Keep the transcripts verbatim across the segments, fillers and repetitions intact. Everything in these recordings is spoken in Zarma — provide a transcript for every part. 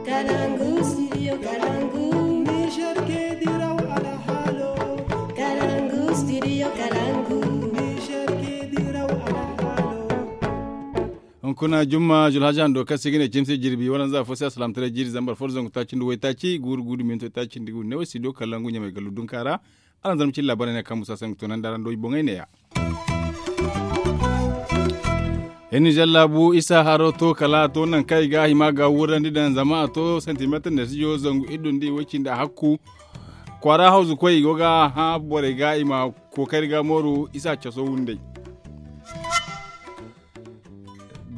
Kalangu studio kalangu. Niger ke diraw alhalo. Kalangu studio kalangu. Niger ke diraw alhalo. Hunkuna jumma julhaja hando kaŋ se i ga ne cimse jirbi waranza fo se alsilaamataray jiiri zambar fo da zangu taaci nda waytaaci guuru guuru minto taaci nda guuru neewo studio kalangu ɲamay gallu dunka ra. Aranzarma cilla bare ne kaŋ musa se nga toonandi araŋ do i boŋey neeya. Hinni zallaabu isa haro to kala a to nangu kaŋ i ga a hima ga wurrandi daŋ zama a to santimeetar neesijo zangu iddu nda i way cindi a hakku. Kwaara hawzu koy i go ga a hã borey ga i ma kookari ga mooru isa caso wunday.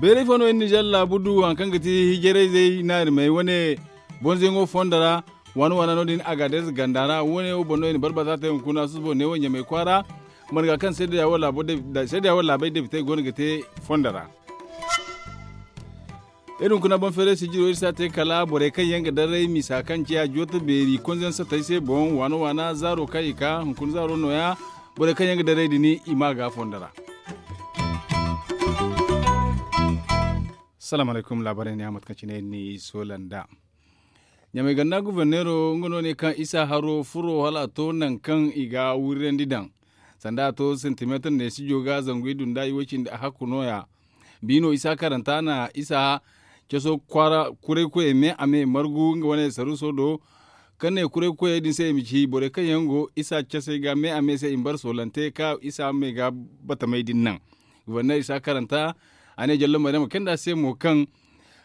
Beeray fo no iri nizer laabu du haŋ kaŋ ga ti hijarayzey naari may wane bonzayaŋo fondo ra. Waana waana no- din agadees ganda ra wane wo boŋ no i na barbaza te hunkuna susubo neewo ɲamay kwaara. Marga kaŋ seedeya wo laabay debitey go no ga te fondo ra. Iri hunkuna boŋ feeray sijiro iri si a te kala borey kaŋ yaŋ ga daray misa kaŋ ciya jooto beeri konzayaŋ sotey se boŋ waana waana zaaro kaŋ i ka hunkuna zaaro nooya. Borey kaŋ yaŋ ga daray din i ma ga fondo ra. Salaamu alaykum laabaarey ne a mate kaŋ cine iri n'i soola nd'a. Ɲamay ganda guverneero nga no ne kaŋ isa haro furo hala a to nangu kaŋ i ga wirirandi daŋ. Sanda a to santimeetar neesijo ga zangu iddu nda i way cindi a hakku nooya. Biino isa karanta na isa caso kwaara kuraykoyey me a me margu nga wane saruuso do. Kaŋ ne kuraykoyey din se i ma ci borey kaŋ yaŋ go isa casey ga me a me se i ma bara soolante ka isa me ga batamey din naŋ. Guberner isa karanta a ne jallo mayrama kayndi a se mo kaŋ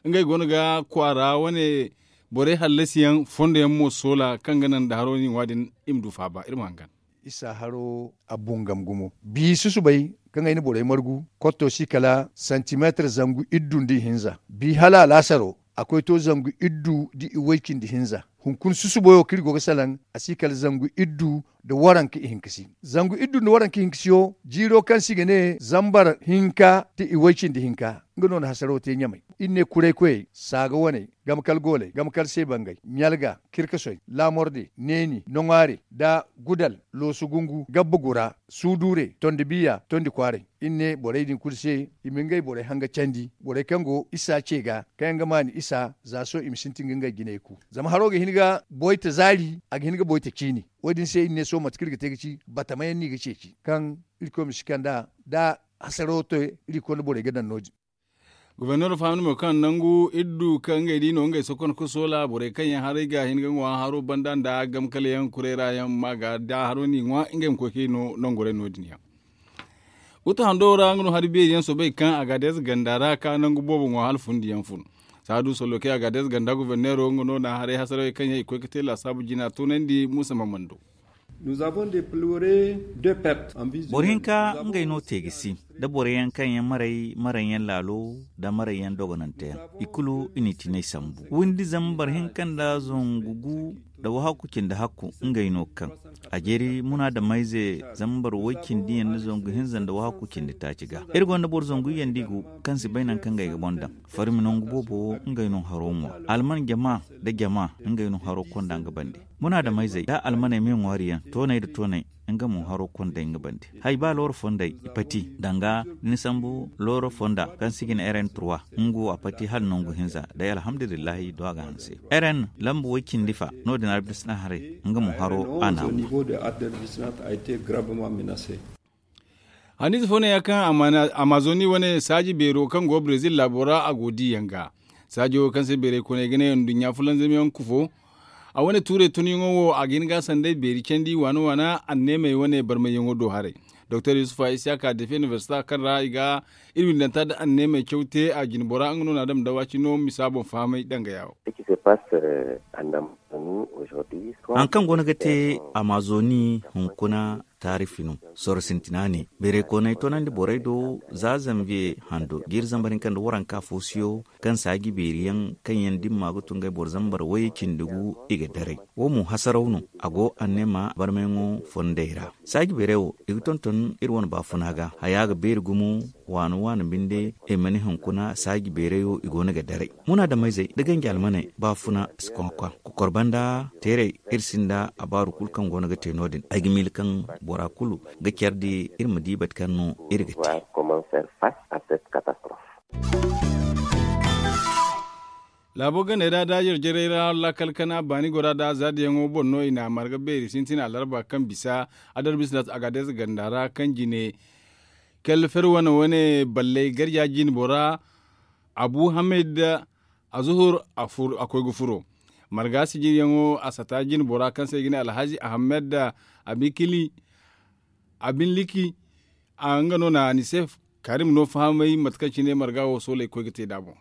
ngey go no ga kwaara wane borey hallasiyaŋ fondo yaŋ mo soola kaŋ ga naŋ nda haro ni ŋwa din i ma du faaba iri ma hangan. Isa haro a bungam gumo bi susubay kaŋ ay na borey margu kotto si kala santimeetar zangu iddu nda ihinza bi hala alaasaro a koy to zangu iddu nda iway cindi hinza. Hunkuna susubo wo kaŋ iri go ga salaŋ a si kala zangu iddu nda waranka ihinkasi. Zangu iddu nda waranka ihinkasiyo jiiro kaŋ se i ga ne zambar hinka nda iway cindi hinka. Nga no na hasaro te ɲamay iri ne kuraykoyey saaga waney gamkal gooley gamkal seebangey ɲalga kirkasoy laamorde neeni noŋwaare nda gudal loosu gungu gabba gura suuduure tondi biya tondi kwaaray. Iri ne borey din kulu se i ma ngey borey hanga candi borey kaŋ go isa ce ga kaŋ yaŋ ga maani isa za sohõ i ma sintin ga ngey jinay ku. Zama haro ga hin ga boyta zaari a ga hin ga boyta ciini. Wo- din se iri ne sohõ mate kaŋ iri ga te ga ci batama yaŋ no i ga ceeci kaŋ irkoy ma si kand'a da hasaro te. Irkoy nda borey ga daŋ no- din. Gobornero fahamni mo kaŋ nangu iddu kaŋ ngey di no ngey sokon ka soola borey kaŋ yaŋ haray ga hin ga ŋwa haro banda nda gamkalayaŋ kurayra yaŋ ma ga da haro n'i ŋwa ngey ma koy kay no nangoray no- din yaŋ. Guta hando ra nga no hari beeri yaŋ soobay kaŋ a ga deeza ganda ra ka nangu boobo ŋwa hala fundi yaŋ fun. Saadu sollo kay a ga deeza ganda gobornero nga no na haray hasarawey kaŋ yaŋ i koy ga te laasaabu jina toonandi muusa mamando. Boro hinka ngey no te ga si da boro yaŋ kaŋ yaŋ maray maray yaŋ laalo nda maray yaŋ dogonante yaŋ i kulu i n'i tinay sambu windi zama boro hinka nda zangu gu nda wahakku cindi hakku ngey no ga kaŋ a jeeri munaadamayze zama boro way cindi yaŋ nda zangu hinza nda wahakku cindi taaci ga iri gonda boro zangu yaŋ da i gu kaŋ si bay nangu kaŋ ngey ga boŋ daŋ farmi nangu boobo wo ngey no haro ŋwa alman jama nda jama ngey no haro konda nga bande munaadamayzey da almaney me ŋwaari yaŋ tooney nda tooney nga mo haro konda nga bande hay ba looro fondey i pati danga da ni sambu looro fonda kaŋ se i ga ne rn trois nga wo a pati hala nangu hinza day alhamdulillahi do a ga hanse rn lamba way cindi fa no- din arbisna haray nga mo haro a na a ŋwa. Hanize fo ne ya kaŋ amazoni wane saaji beero kaŋ go brezil laabo ra a go diyaŋ ga saajo kaŋ se beeray kooney ga ne nduɲɲa fulanzamyaŋ kufo. A wane tuurey tunyaŋo wo a ga hin ga a sanday beeri candi waana waana anneemey wane barmayyaŋo do haray. Doktor yusufa isiyaka defe inibersita kaŋ ra i ga iri windanta nda anneemey caw te a jinbora nga no na a dama dawaci no misa boŋ fahamay dangaya wo. Haŋ kaŋ go no ga te amazoni hunkuna taarifi no. Sorro sintina ne beerey kooney toonandi borey do za zanviye hando jiiri zambar hinka nda waranka fo siyo kaŋ saaji beeri yaŋ kaŋ yaŋ dimma ga tun ngey boro zambar way cindi gu i ga daray wo mo hasaraw no. A go anneema barmayaŋo fondey ra saaji beerey wo i ga tonton iri wane baafuna ga haya ga beeri gumo waana waana binde i mana hunkuna saaji beeray wo i go no ga daray munaadamayzey nda ganji almaney baafuna si koŋ a kwaŋ kokor banda teeray iri sinda abaaru kulu kaŋ go no ga te no- din ay ga miila kaŋ bora kulu ga care di iri ma di bate kaŋ no iri ga te. Laabo ganey ra da jarjarey ra laakal kana baani gora da zaadiyaŋo boŋ no i na a marga beeri sintin alarba kaŋ bisa adarbis na agades ganda ra kaŋ jine kelle fer wane wane balley garja jine bora abu hamed azuhur a koy ga furo marga sijiryaŋo a sata jine bora kaŋ se i ga ne alhazi ahamed abikili abinliki a nga no na ni se karim no fahamay mate kaŋ cine marga wo sooley koy ga te nd'a boŋ.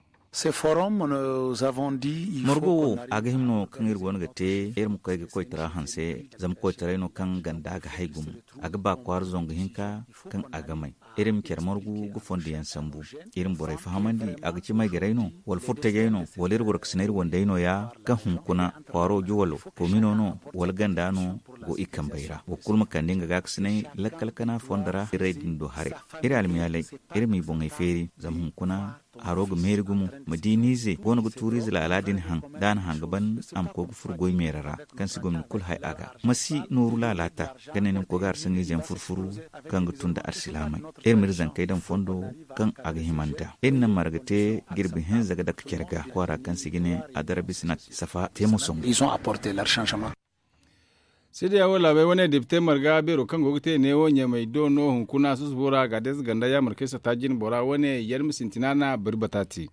Margo wo a ga hima no kaŋ iri go no ga te iri ma koy ga koytara hanse zama koytaray no kaŋ ganda ga hay gumo a ga ba kwaara zangu hinka kaŋ a ga may iri ma care margu ga fondo yaŋ sambu iri ma borey fahamandi a ga ci maygarey no wala furtajey no wala iri goro ga sina iri wandey no- ya kaŋ hunkuna kwaaro juwalo komino no wala ganda no go i kambey ra boro kulu ma kande nga gaakasinay lakkal kana fondo ra irey din do haray iri almiyaaley iri m'i boŋey feeri zama hunkuna haro ga meeri gumo ma di niize go no ga tuuriize laala din haŋ da a na haŋ ga ban a ma koy ga furo goy meera ra kaŋ si gomni kulu hay a ga ma si nooru laalaata ga ne ni ma koy ga arsaŋiize yaŋ furfuru kaŋ ga tun nda arsilaamey iri m'iri zankey daŋ fondo kaŋ a ga hima nd'a iri na marga te jirbi hinza ga dake care ga kwaara kaŋ se i ga ne adarabi sina safa te moso. Seedeya wo laabey wane depite marga beero kaŋ go ga te neewo ɲamey do no hunkuna susubo ra gaadez ganda yaamarkey sata jine bora wane yalma sintina na bari bata te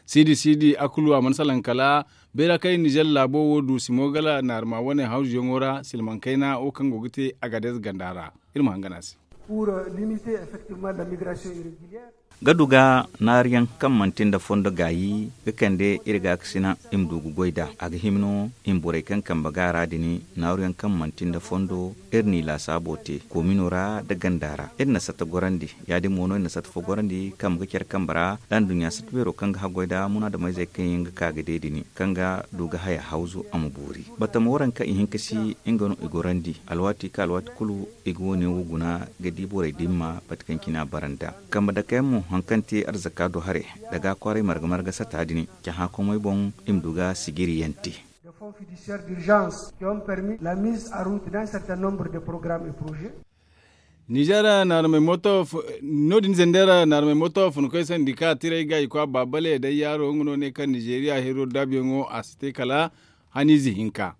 siidi siidi a kulu a mana salaŋ kala beera kaŋ i nizer laabo wo du simo gala naarma wane hawzuyaŋo ra silmaŋ kayna wo kaŋ go ga te a gaadez ganda ra iri ma hangan a se. Ga du ga naaruyaŋ kaŋ manti nda fondo gaayi ga kande iri gaakasina i ma du ga goy nd'a a ga hima no i ma borey kaŋ kambe ga a ra din naaruyaŋ kaŋ manti nda fondo iri n'i laasaabo te koomino ra nda ganda ra iri na satta gorandi ya- din mo no iri na satta fo gorandi kambe ga care kambe ra nda anduɲɲa satta beero kaŋ ga haggoy nda munaadameyzey kaŋ yaŋ ga ka ga de din kaŋ ga du ga haya hawzu a ma boori batama waranka ihinka si nga no i gorandi alwaati kaŋ alwaati kulu i ga wo- ne wo guna ga di borey dimma mate kaŋ cine a bara nd'a kambe dake yaŋ mo hari kaŋ te arzaka do haray daga kwaaray marga marga sata din cahã komey boŋ i ma du ga sijiriyaŋ te. Nizer naarmey mooto no- din zender naarmey mooto funkoy sandika tiray ga i kwa baabale day yaaro nga no ne kaŋ nizeeriya hiro daabuyaŋo a si te kala haniize hinka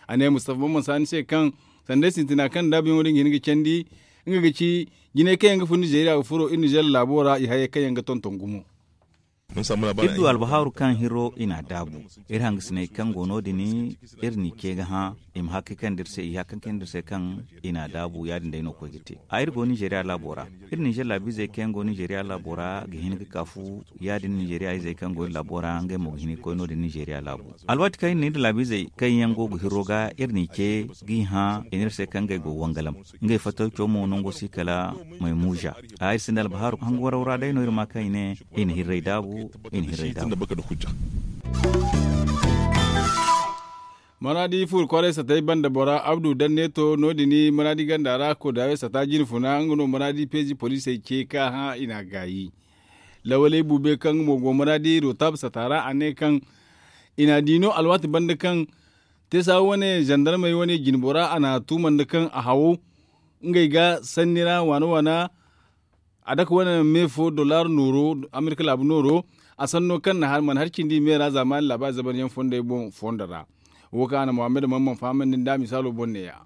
a ne mustafa bamman saani se kaŋ sanda ay sintina kaŋ daabuyaŋo din ga hin ga candi nga ga ci jinay kaŋ yaŋ ga fun nizeeriya ga furo iri nizeer laabo ra i hayey kaŋ yaŋ ga tonton gumo. Iri du albahaaru kaŋ hiro i n'a daabu iri hangasiney kaŋ go no- din iri n'i ce ga hã i ma hakkay kaŋ nda iri se i hakkay kaŋ nda iri se kaŋ i n'a daabu ya- din day no koy ga te a iri go nizeeriya laabo ra iri nizeer laabiizey kaŋ yaŋ go nizeeriya laabo ra ga hin ga ka fu ya- din nizeeriya izey kaŋ go iri laabo ra ngey mo ga hin ga koy no- din nizeeriya laabo alwaati kaŋ iri na iri laabiizey kaŋ yaŋ go ga hirro ga iri n'i ce g'i hã i n'iri se kaŋ ngey go wangalam ngey fattaw caw mo nango si kala maymuuza a iri sinda albahaaru hangu waraw ra day no iri ma kaŋ i ne i na hirray daabu i na hirray daabu. Maraadi fuuru kwaray satay banda bora abdu danneeto no- din maraadi ganda ra koodaayo sata jine funa nga no maraadi peezi poliisey ce ka hã i n'a gaayi lawaley buube kaŋ nga mo go maraadi rotab sata ra a ne kaŋ i n'a di no alwaati banda kaŋ teesa wane zandarmey wane jine bora a n'a tuuma nda kaŋ a hawo ngey ga sanni ra waana waana a dake wane me fo dollar nooro amerika laabu nooro a sanno kaŋ mana har cindi me ra zaamaani laabaari zamanyaŋ fondey boŋ fondo ra wo kaŋ a na muhammad mamman fahamandi nda misaalo boŋ neeya.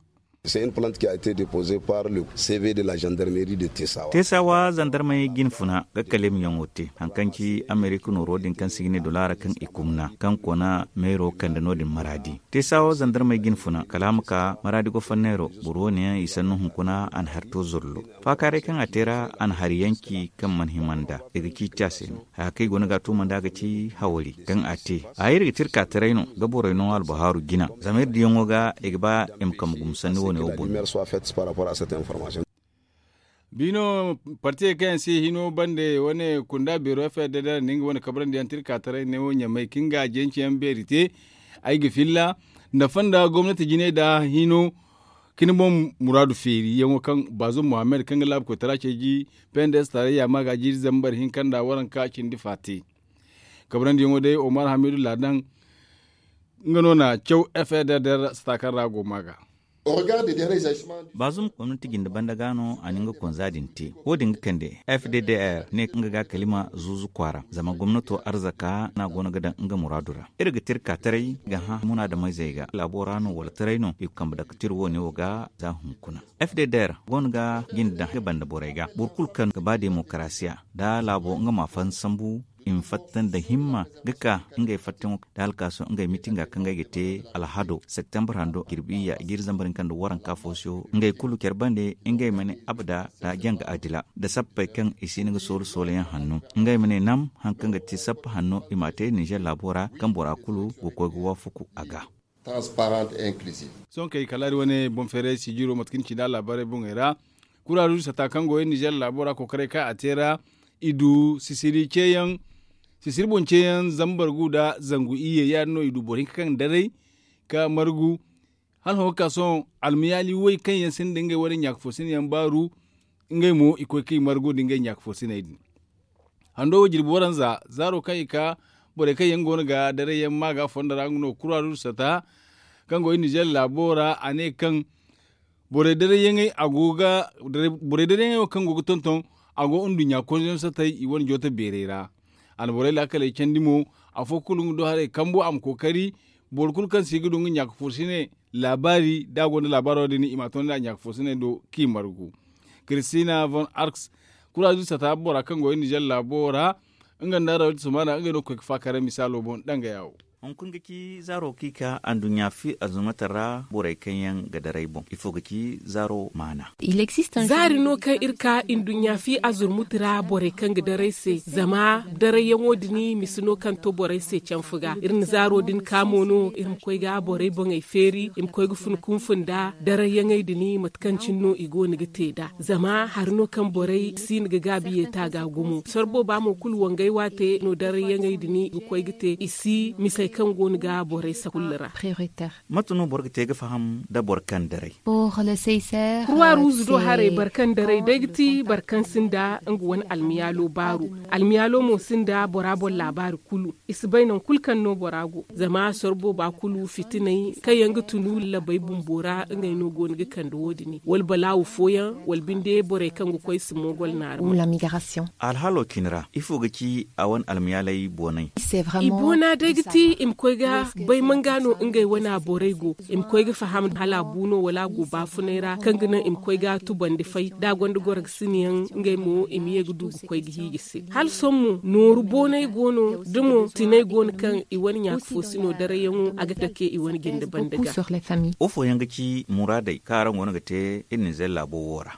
Teesawa zandarmey jine funa ga kaleemyaŋo te hari kaŋ ci amerika nooro din kaŋ se i ga ne dolaara kaŋ i kumna kaŋ kona meero kande no- din maraadi teesawa zandarmey jine funa kala a ma ka maraadi goforneero boro wo- ne yaŋ i sannu hunkuna a na hari to zollo faakaaray kaŋ a te ra a na hari yanci kaŋ mana hima nd'a i ga ciiti a se no haya kaŋ i go no ga a tuuma nd'a ga ci hawari kaŋ a te a iri ga te iri ka taray no ga borey no albahaaru jina zama iri diyaŋo ga i ga ba i ma kambe gumo sanni wo- ne wo boŋ. Biino partiyey kaŋ yaŋ se hino bande wane kunda beero fdr nda nga wane kabrandi yaŋ tirka taray ne wo ɲamay kaŋ ga jenci yaŋ beeri te ay ga filla nda fonda gomnati jinay da hino kini boŋ muraadu feeri yaŋo kaŋ baazum muhammad kaŋ ga laabu koytara ceeji pnds tarayya ma ga jiiri zambar hinka nda waranka cindi fa te kabrandi yaŋo day omar hamidu ladan nga no na caw fdr sata kaŋ ra go ma ga. Bazum gomnati jinde banda ga no a na nga konza din te. Wo- din ga kande f d d r ne nga ga kalima zuuzu kwaara zama gomnato arzaka no a go no ga daŋ nga muraadu ra. Iri ga te iri ka taray ga hã munaadameyzey ga laabo ra no wala taray no i ga kambe dake te iri wo- ne wo ga za hunkuna. F d d r go no ga jinde daŋ nga banda borey ga boro kulu kaŋ ga ba demokarasiya nda laabo nga ma a fahan sambu i ma fatta nda himma ga ka ngey fattaŋo da alkaaso ngey mitinga kaŋ ngey ga te alhado septembre hando jirbi iyya i ga iri zambar hinka nda waranka fo se wo ngey kulu care bande ngey ma ne abada nda janga adila nda sappey kaŋ i si hin ga soola soolayaŋ hanno ngey ma ne nam hari kaŋ ga ti sappa hanno i m'a te ninzeer laabo ra kaŋ bora kulu go koy ga waafaku a ga. Sohõ kay kala iri wane boŋ feeray sijiro mate kaŋ ni ci nda laabaarey boŋey ra kuraaruz sata kaŋ go iri ninzeer laabo ra kookaray kaŋ a te ra i du sisiri ceeyaŋ sisiri boŋ ceeyaŋ zambar gu nda zangu iyye ya- din no i du boro hinka kaŋ daray ka margu. Hala hõ ga ka sohõ almayaali way kaŋ yaŋ sinda ngey wane ɲaaka fo sinayaŋ baaru ngey mo i koy kaŋ i margu nda ngey ɲaaka fo sinay din. Hando wo jirbi waranza zaaro kaŋ i ka borey kaŋ yaŋ go no ga daray yaŋ ma ga fondo ra nga no kuraaruz sata kaŋ go iri ninzeer laabo ra a ne kaŋ borey darayyaŋey a go ga borey darayyaŋey wo kaŋ go ga tonton a go nduɲɲa konzoyaŋ satay i wane jooto beerey ra. A na borey laakaley candi mo afo kulu nga do haray kambo a ma kookari boro kulu kaŋ se i ga du nga ɲaaka fo sine laabaari da a gonda laabaaro din i ma a toonandi a ɲaaka fo sine do kaŋ i margu. Kiristina von arks kuraazuz sata bora kaŋ go iri ninzeer laabo ra nga nda rawaytu sumaana ngey no ga koy ga faakara misaalo boŋ dangaya wo. Hunkuna ga ci zaaro kaŋ i ka anduɲɲa fi azurmata ra borey kaŋ yaŋ ga daray boŋ ifo ga ci zaaro maana? Zaari no kaŋ iri ka nduɲɲa fi azurmata ra borey kaŋ ga daray se zama darayyaŋo din misi no kaŋ to borey se canfu ga iri na zaaro din ka mo no iri ma koy ga borey boŋey feeri i ma koy ga fun kunfun nda darayyaŋey din mate kaŋ cine no i go no ga te nd'a zama hari no kaŋ borey si no ga gaabi yeeta ga gumo sorbo ba mo kulu wangay waate no darayyaŋey din ga koy ga te i si misey kaŋ go no ga borey sakulla ra. Mate no boro ga te ga faham nda boro kaŋ daray? Kurwa ruuzu do haray boro kaŋ daray day ga ti boro kaŋ sinda nga wane almiyaalo baaru. Almiyaalo mo sinda bora boŋ laabaari kulu i si bay nangu kulu kaŋ no bora go zama sorbo ba kulu fitinay kaŋ yaŋ ga tunu labey bumbo ra ngey no go no ga kande wo- din wala balaawu fooyaŋ wala binde borey kaŋ ga koy si moogol naara. Alhalo cine ra ifo ga ci a wane almiyaaley boonay? I boona day ga ti i ma koy ga bay manga no ngey wana borey go i ma koy ga faham hala a bu no wala a go baafunay ra kaŋ ga naŋ i ma koy ga tubandi fay da a gonda goro ga sinayaŋ ngey mo i ma ye ga du ga koy ga hiiji se hala sohõ mo nooru boonay go no da mo tinay go no kaŋ i wane ɲaaka fo si no darayyaŋo a ga dake i wane jinde banda ga. Wo fooyaŋ ga ci muraadey kaŋ araŋ go no ga te iri ninzeer laabo wo ra?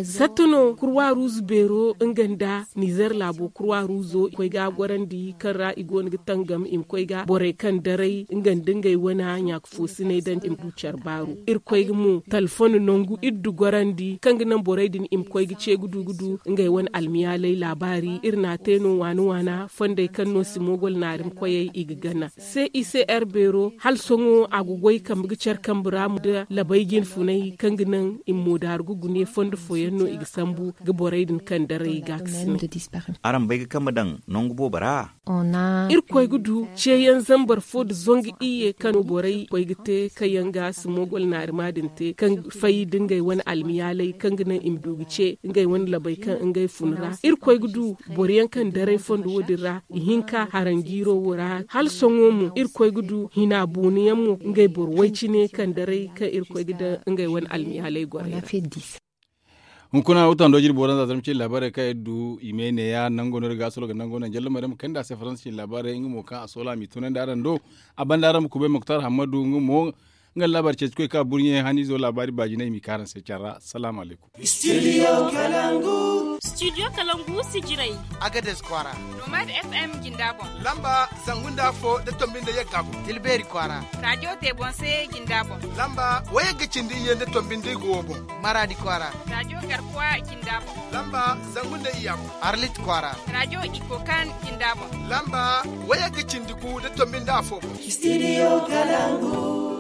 Sattu no kurwa ruuzu beero nga nda ninzeer laabo kurwa ruuzo i koy ga a gorandi kaŋ ra i go no ga tangam i ma koy ga borey kaŋ daray nga nda ngey wana ɲaaka fo sinay daŋ i ma du care baaru iri koy ga mo talfon nangu iri du gorandi kaŋ ga naŋ borey din i ma koy ga ce ga du ga du ngey wane almiyaaley laabaari iri n'a te no waana waana fondey kaŋ no si moogol naari ma koyey i ga gana. Cicr beero hala sohõ a ga goy kambe ga care kambe ra nda labay jinfunay kaŋ ga naŋ i ma moodaaru ga gune fondo fooyaŋ no i ga sambu ga borey din kaŋ daray ga ga sine. Araŋ bay ga kambe daŋ nangu boobo ra? Irkoy ga du ceeyaŋ zambar fo nda zangu iyye kaŋ no borey koy ga te kaŋ yaŋ ga si moogol naarima din te kaŋ fay nda ngey wane almiyaalay kaŋ ga naŋ i ma du ga ce ngey wane labey kaŋ ngey fun ra. Irkoy ga du boro yaŋ kaŋ daray fondo wo- din ra ihinka haranjiiro wo ra hala sohõ mo irkoy ga du hina booni yaŋ mo ngey boro way cine kaŋ daray kaŋ irkoy ga daŋ ngey wane almiyaalay gorey ra. Hunkuna wutando jirbi waranza zarma cine laabaarey kaŋ iri du i me neeya nango no iri ga a solo ga nango no jalla maryam kande a se faransa cine laabaarey nga mo kaŋ a soola a m'i tunandi araŋ do. A banda araŋ ma kubay muktar hammadu nga mo nga laabaari ceeci koy ka burɲe haniizo laabaari baajinay i m'i ka araŋ se care ra. Salaamu alaykum. Studio kalangu sijirey. Agades kwaara. Nomad f m jinda boŋ. Lamba zangu nda afo da tombi nda yagga boŋ. Tilbeeri kwaara. Radiyo tebonse jinda boŋ. Lamba wayagga cindi iyye nda tombi nda igo wo boŋ. Maradi kwaara. Radiyo garkuwa jinda boŋ. Lamba zangu nda iyya boŋ. Arlit kwaara. Radiyo ikokan jinda boŋ. Lamba wayagga cindi gu nda tombi nda afo boŋ. Studio kalangu.